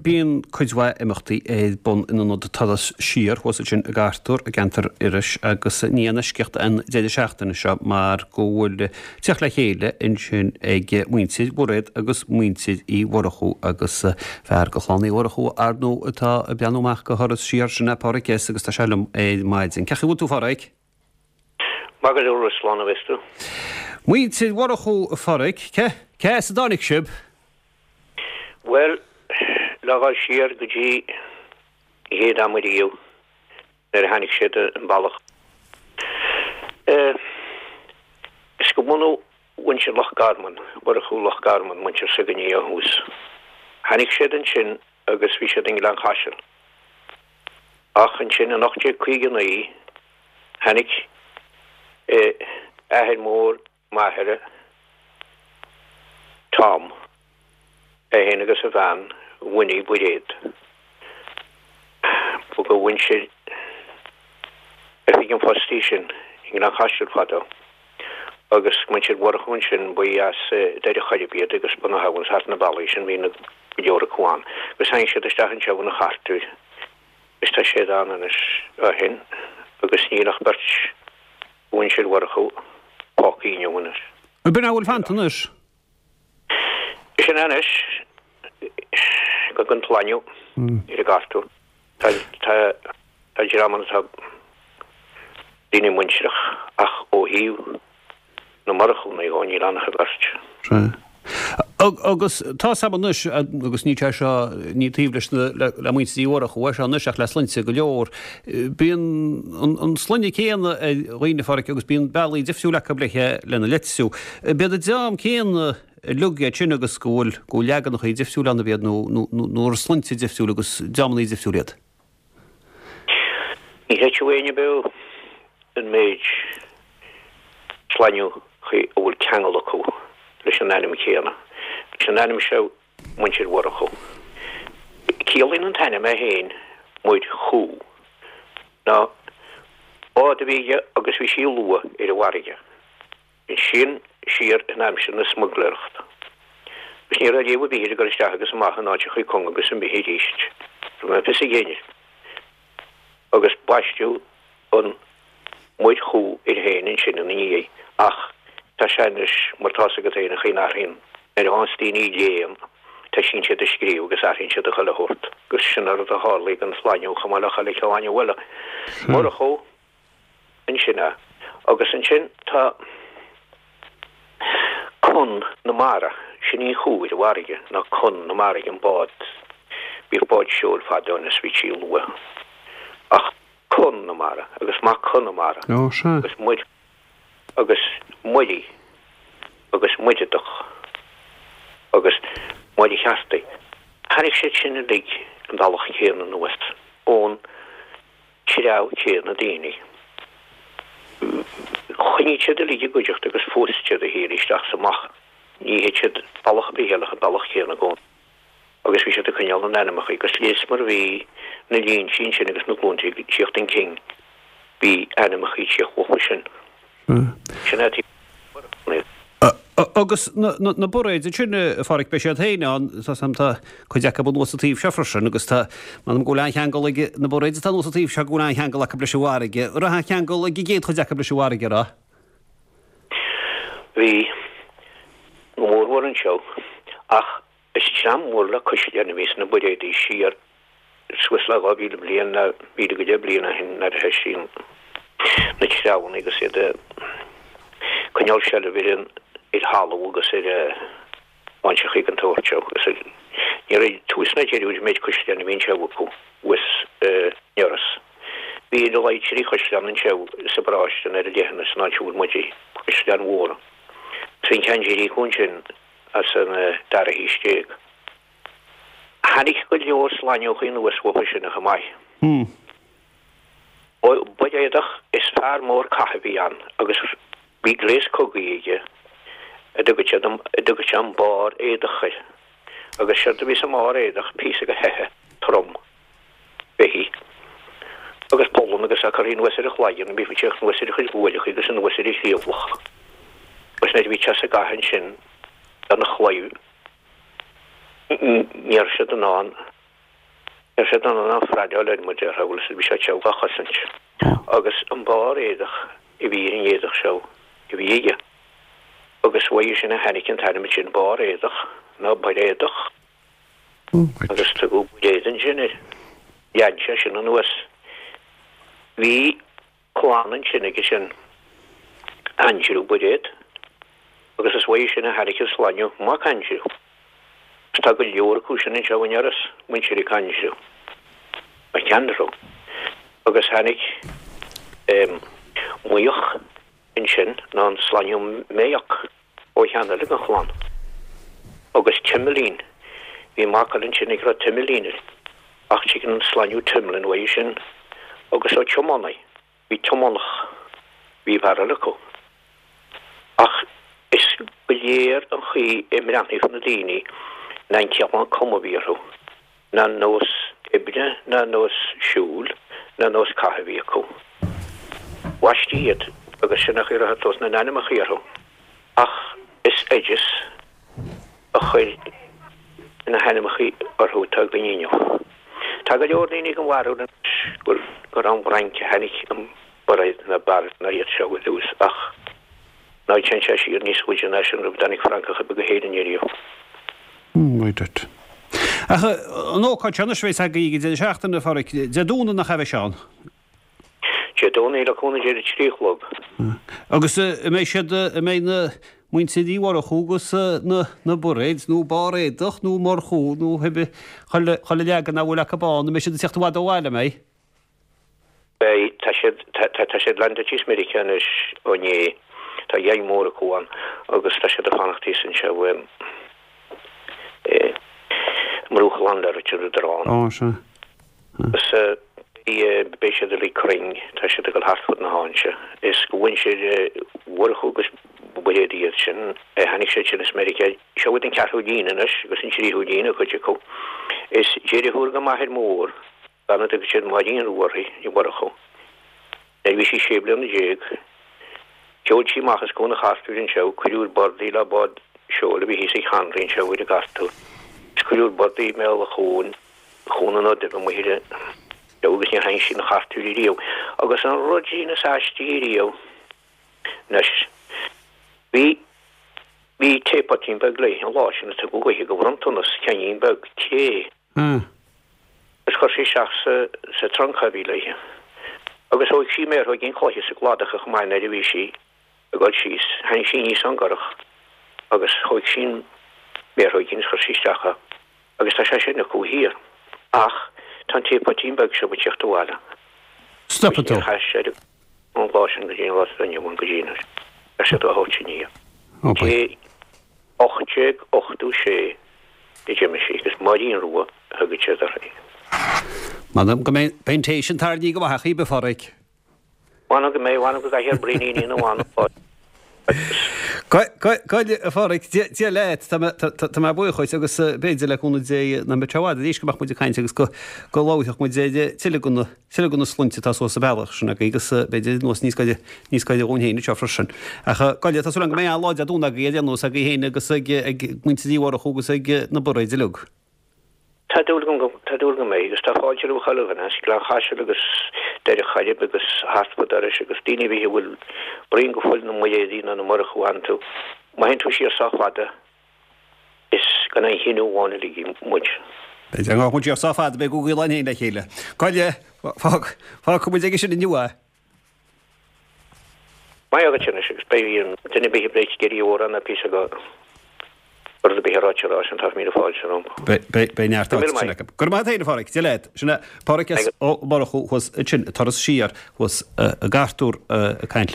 Bíonn cuid mhaith imeachtaí ar bun in ionad Turas Siar thuas ansin i gCartúr i gceantar Iorrais agus ní aon eisceacht an deireadh seachtaine seo mar go bhfuil teacht le chéile ansin ag muintir Bhairéad agus muintir Uí Mhurchú agus fear de chlann Uí Mhurchú ar ndóigh atá ag breathnú amach do Thuras Siar sin é Páraic S agus tá sé liom ar maidin. Cén chaoi a bhfuil tú a Pháraic? Maith go leor, slán a bheas tú. Muintir Mhurchú, a Pháraic, cé, cé as a dtáinig sibh? Bhuel, le dhul siar go dtí an chéad am ariamh nuair a tháinig siad an bealach. Is go bunadh mhuintir Loch Garman, Murchú Loch Garman, muintir s'againne ó thús. Tháinig siad ansin agus bhí siad i nGleann Chaisil. Ach ansin in 1859 tháinig athair mór m'athara, Tom, é féin agus a bhean, Winnie Bairéad. Ba de mhuintir Oifig an Phoist í sin i nGleann Chaisil fadó. Agus muintir Mhurchú ansin, ba as Doire Choirib iad agus ba na habhann thart na bealaí sin, bhí na go leor acu ann. Agus tháinig siad isteach anseo ina Chartúir agus tá siad ann anois ó shin agus níl ach beirt de mhuintir Mhurchú fágtha inniu anois. Ab in a bhfuil fanta anois? Sin é anois den tslainnú ar an gCartúr. Tá tá dream ann atá daoine muintireach ach ó thaobh na Murchúnna dhó níl ann ach an bheirt. Sea. Agus tá 's a'm anois, agus ní sé seo, ní taobh leis na, le muintir Uí Mhurchú é seo anois ach le sloinnte go leor, bíonn an sloinne céanna ar dhaoine, a Pháraic, agus bíonn bealaí difriúil acu le lena litriú. B'iad an dream céanna uilig iad sin agus go bhfuil, go bhfuil leaganachaí difriúil ann, ab iad, nó, nó, nó ar sloinnte difriúil agus dreamannaí difriúil iad? Ní chreidfeadh éinne beo an méid sloinneachaí a bhfuil ceangal acu leis an ainm céanna, leis an ainm seo Muintir Mhurchú. Ciallaíonn an t-ainm é féin Muir Chú. Ná bád a bhí aige agus bhí sí luath ar an bhfarraige. Ansin siar in aimsir na smuigléireachta. Agus ní raibh léamh ar bith ar ag dul isteach agus amach in áiteachaí cúng agus imithe arís. Ní raibh fios ag éinne. Agus baisteadh an Muir Chú air féin ansin ina ndiaidh. Ach tá sé anois mar tá's agat féin an chaoi a n-athraíonn. Nuair a fhaigheanns daoine léann, toisíonn siad ag scríobh agus athraíonn siad a chuile shórt. Agus sin an rud a tharlaigh don tslainnú chomh maith le chuile shlainnú eile. Murchú. Ansin é. Agus ansin tá Con na Mara, sin í an chú ar an bhfarraige, ná Con na Mara, an bád, bhíodh báid seoil fadó anois bhí sí luath, ach Con na Mara agus Mac Con na Mara agus Muir agus Muirí agus Muireadach agus Muircheartaigh. Tháinig siad sin uilig an bealach céanna anuas ón treabh céanna daoine. Choinnigh siad uilig i gcuideachta agus phós siad a chéile isteach is amach. Ní théid siad bealach ar bith eile ach an bealach céanna i gcónaí. Agus bhí siad ag coinneáil na n-ainmeacha agus léas mar a bhí na línte ansin agus na glúnta ag tíocht chun cinn bhí ainmeacha ag tíocht uathu sin. Sin é taobh Agus na Bairéid ansin, a Pháraic, beidh siad féin ann, tá 's a'm, tá cuid acu anuas sa taobh seo freisin agus tá, m'anam go bhfuil an-cheangal ag na Bairéid atá anuas sa taobh seo go bhfuil an-cheangal acu leis an bhfarraige. An raibh an-cheangal ag an gcéad chuid acu leis an bhfarraige, an raibh? Bhí, go mórmhór anseo, ach is dream mór le caisleáin a bhí sna Bairéadaí siar suas le 2,000 bliain, nó 1,000 go deich bliain ó shin nuair a thoisigh na treabhanna agus iad ag coinneáil seilbh ar an ar thalamh agus ar áiteachaí den tsórt seo agus ní raibh tús ná deireadh ar an méid caisleán a bhí anseo acu thuas in Iorras. Bhí ar a laghad trí chaisleán anseo sa bparáiste ar an leithinis san áit a bhfuil muid, caisleáin mhóra. Bhí an ceann deiridh acu ansin as an dara haois déag. Tháinig go leor slaineochaí anuas uathu sin chomh maith. Bairéadach is fear mór catha a bhí ann agus bhí gléas cogaidh aige a dtugadh siad a dtugadh sé an barr éadach air. Agus séard a bhí sa mbarr éadach píosa de sheithe trom beithígh agus polann agus é curtha anuas ar a chloigeann, bhí sé anuas ar a chuid guailleacha agus anuas ar a chliabhlach. Agus nuair a bhí sé sa gcath ansin lena chlaíomh ní raibh siad in ann. Raibh sé dona ná fraideáil air mar déarfá, bhfuil 'fhios a'd, bhí sé tiubh dhá chosaint. Agus an barr éadach a bhí ar an éadach seo a bhí aige. Agus uaidh sin a tháinig an t-ainm sin barr éadach ná Bairéadach. Agus tugadh Bairéad ansin air. Lean sé sin anuas. Bhí clann ansin aige sin, Aindriú Bairéad, agus is uaidh sin a tháinig an sloinneadh Mac Aindriú. Agus tá go leor acu sin anseo in Iorras, muintir Mhic Aindriú, McAndrew. Agus tháinig Maoch ansin, ná an sloinneadh Mayock. ó cheann eile den chlann. Agus Timilín, bhí mac eile ansin ag raibh Timilín air, ach tigeann an sloinneadh Timlin uaidh sin, agus ó Tiománaí, bhí Tiománach, bhí fear eile acu. Ach is go léir an chaoi a mbreathnaíodh na daoine ná an cineál cuma a bhí orthu. ná nós oibre ná nós siúil ná nós catha a bhí acu. Bhaistí iad agus sin an chaoi a raibh tús na n-ainmneacha orthu. Ach is oideas a chuir na hainmneacha orthu atá againn inniu. Tá go leor daoine den bharúil anois gur ón bhFrainc a tháinig an Bairéad ná Barret ná iad seo ar dtús ach ná téann sé siar níos faide ná sin roimh a dtáinig Francach ar bith go hÉirinn ariamh. Right duit. Ach an ócáid seo anois a bheas agaibh ag an deireadh seachtaine, a Pháraic, Dé Domhnaigh nach ea a bheidh sé ann? Dé Domhnaigh le cúnamh Dé ar a trí a chlog. Agus an mbeidh siad, an mbeidh na muintir Uí Mhurchú agus na na Bairéid nó Báréadach nó Murchú nó cibé chuile chuile leagan a bhfuil acu ann, an mbeidh siad ag teacht i bhfad ó bhaile, an mbeidh? Beidh, tá siad, tá, tá siad leaindeáilte thíos Meiriceá anois ó inné, tá geaing mór acu ann agus tá siad ag fanacht thíos anseo i, i mBruach Ghleann Lairt ar an Drán. Ó, sea. Agus beidh, beidh siad uilig cruinn, tá siad ag dul thart fud na háite. Is de mhuintir Mhurchú agus Bairéad iad sin, tháinig siad sin as Meiriceá, seo iad an ceathrú líne anois agus an tríú líne cuid acu. Is deirfiúr go m'athair mór Bean a dtugadh siad Máirín Rua uirthi, Ní Mhurchú. Nuair a bhí sí sé bliana sheol sí amach as Cuan an Chartúir anseo, cuireadh ar bord í le bád seoil a bhí thíos ag Hanraí anseo ar an gCartúr. Is cuireadh ar bord í i mbéal an chuain, Cuan an Fhodaimh amuigh ar an anseo agus níor tháinig sí 'na Chartúir ariamh. Agus an rud sin is aistí ariamh anois, bhí, bhí teapotín beag léi an lá sin a tugadh dhuithe de bhronntanas, ceainnín beag cré. Agus chuir sí isteach sa sa trunc a bhí léithe. Agus thóig sí méarthóigín cloiche sa gcladach chomh maith nuair a bhí sí ag dul síos. Tháinig sí aníos ón gcurach agus thóig sí an méarthóigín is chuir sí isteach é. Agus tá sé sin acu thiar. Ach tá an teapotín beag seo ag tíocht abhaile. Stopfaidh tú. Níor chaith sé ón lá sin go dtí an lá atá inniu ann go dtí anois. Tá siad á thabhairt aniar. Ó, bye. 1886 a d'imigh sí agus Máirín Rua a thugadh siad uirthi. M'anam go mbeidh an té sin tarraingthe go maith acu, a Pháraic. M'anam go mbeidh, m'anam go gcaithfidh ar braoiníní na bhfan Goile, a Pháraic, Dia leat, tá mé buíoch dhuit agus b'fhéidir le cúnamh Dé nach mbeidh sé i bhfad arís go mbeadh muid ag caint agus go labharfadh muid ar tuilleadh de na Tuilleadh de na sloinnte atá suas an bealach sin agaibh agus b'fhéidir anuas níos gaire, níos gaire dhúinn féin anseo freisin. Ach goile, tá súil agam go mbeidh an-lá Dé Domhnaigh agaibh ar aon nós, agaibh féin agus ag, ag muintir Uí Mhurchú agus ag na Bairéid uilig. Tá dúil agam go, tá dúil go mbeidh agus tá fáilte roimh chuile dhuine as Gleann Chaisil agus Doire Choirib agus thart fud Iorrais agus daoine ar bith a bhfuil braon go fuil na mBairéadaí nó na Murchú iontu. Má théann tú siar sách fada, Is gan aon chine amháin uilig muid. B'fhéidir nach muid sách fada, beidh Google ann féin le chéile. Goile, fágfaidh muid aige sin inniu é. Maith agat anois agus beidh duine ar bith ag ag iarraidh amhrán ná píosa go rud ar bith a ráite rá sin tá míle fáilte rompu. Beidh neart áite sin acu. Go raibh maith agat féin a Pháraic, Dia leat. Sin é Páraic S. Ó Murchú thuas ansin, turas siar thuas i gCartúr ag caint.